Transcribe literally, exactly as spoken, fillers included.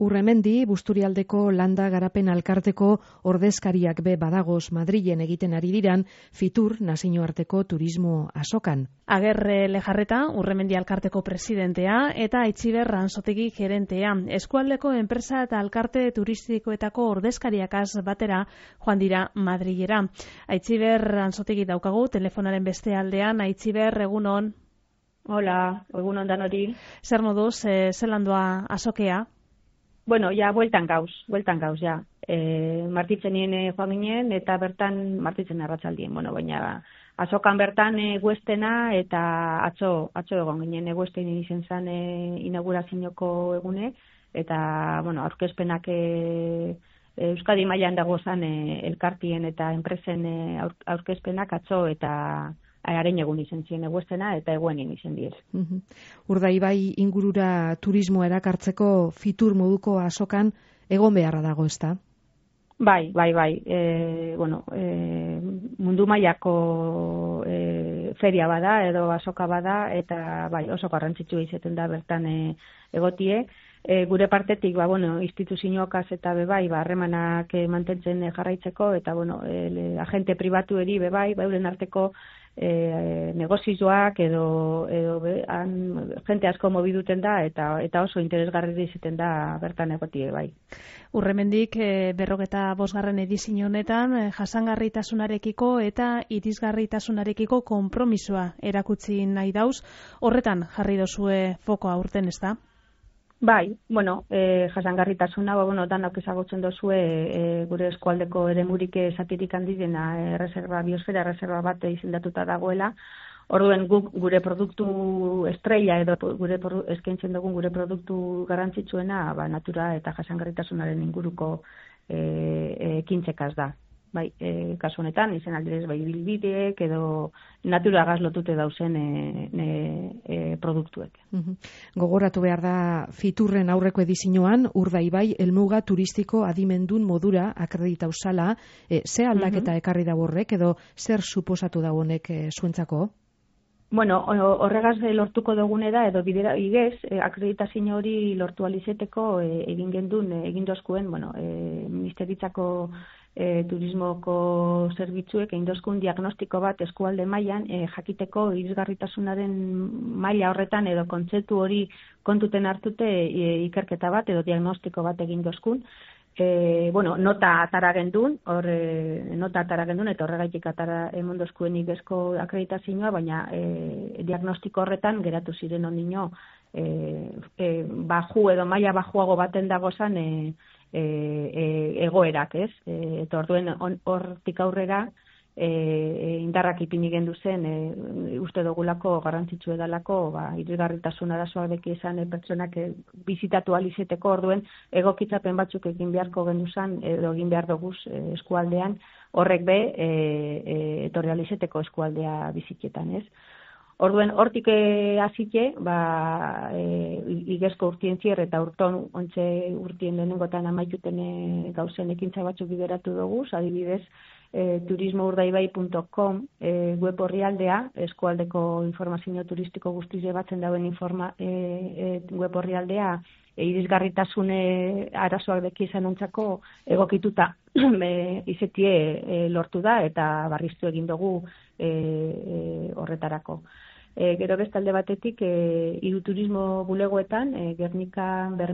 Urremendi, Busturialdeko Landa Garapen Alkarteko ordezkariak be badagoz Madrilen egiten ari diran Fitur nazioarteko turismo azokan. Agerre Lejarreta, Urremendi Alkarteko presidentea eta Aitziber Ranzotegi gerentea. Eskualdeko enpresa eta alkarte turistikoetako ordezkariakaz batera joan dira Madrilera. Aitziber Ranzotegi daukagu telefonaren beste aldean. Aitziber, egunon. Hola, egunon danori. Zer moduz, e, zelan doa azokea? Bueno, ja, bueltan gauz, bueltan gauz, ja. E, martitzenien e, joan ginen, eta bertan martitzen arratsaldien, bueno, baina azokan bertan e, guestena, eta atzo, atzo egon ginen, e, guesten izen zen e, inaugurazioko egune, eta, bueno, aurkezpenak e, Euskadi mailan dago zen e, elkartien eta enpresen e, aur, aurkezpenak atzo eta haren egun izen ziren eguestena eta eguenin izen dier. Uh-huh. Urdaibai ingurura turismo erakartzeko Fitur moduko azokan egon beharra dago, ezta? Bai, bai, bai. E, bueno, e, mundu mailako e, feria bada edo azoka bada eta bai, oso garrantzitsua izaten da bertan e, egotie. E, gure partetik, ba, bueno, instituzioakaz eta bebai, ba, harremanak e, mantentzen e, jarraitzeko eta, bueno, e, agente pribatu eri bebai, ba, euren arteko E, negozioak edo, edo be, han, jente asko mobiduten da eta eta oso interesgarri izaten da bertan egotie bai. Urremendik e, berrogeta bosgarren edizio honetan e, jasangarritasunarekiko eta irisgarritasunarekiko konpromisoa erakutsi nahi dauz. Horretan jarri dozue fokoa urten, ez da? Bai, bueno, e, jasangarritasuna, ba, bueno, danok ezagutzen dozue e, gure eskualdeko eremurik zatirik handidena e, reserva, biosfera reserva bat izendatuta dagoela. Orduen guk gure produktu estrella edo gure eskaintzen dugun gure produktu garrantzitsuena, ba, natura eta jasangarritasunaren inguruko e, ekintzekaz da. Bai, e, kasu honetan, izen aldirez, bai, bilbideek edo naturagaz lotute dauzen e, e, e, produktuek. Uh-huh. Gogoratu behar da Fiturren aurreko edizioan, Urdaibai helmuga turistiko adimendun modura akreditau zala, e, ze aldaketa uh-huh. ekarri da horrek edo zer suposatu da honek e, zuentzako? Bueno, horregaz lortuko dugune da, edo bidera igez, e, akreditazio hori lortu alizeteko e, egin gendun, e, egin dozkuen, bueno, e, ministeritzako e, turismoko zerbitzuek egin dozkun diagnostiko bat eskualde mailan e, jakiteko irisgarritasunaren maila horretan edo kontzeptu hori kontuten hartute e, ikerketa bat edo diagnostiko bat egin dozkun. E, bueno, nota atara gendun, hor e, nota atara gendun, eta horregaitik atara emondozkuen igezko akreditazioa, baina e, diagnostiko horretan geratu ziren ondino e, e, baju edo maila bajuago baten dagozan e, e, e, egoerak, ez? E, eta orduen hortik aurrera E, indarrak ipini gendu zen, e, uste dugulako garrantzitsu edalako, ba, irisgarritasun arazoak deki izan e, pertsonak e, bizitatu alizeteko orduen egokitzapen batzuk egin beharko gendu zen, edo egin behar duguz e, eskualdean, horrek be e, e, etorri alizeteko eskualdea bizitietan, ez? Orduen, hortik hasike, ba, e, igezko urtien zier eta urton, ontxe urtien lehenengotan amaituten e, gauzen ekintza batzuk bideratu dugu, adibidez, E, turismo urdaibai punto com e, web orrialdea, eskualdeko informazio turistiko guztize batzen dauen informa, e, e, web orrialdea e, irisgarritasune arazoak deki izan ontzako egokituta e, izetie e, lortu da eta barriztu egin dugu e, e, horretarako. E, gero bestalde batetik, e, hiru turismo bulegoetan, e, Gernikan,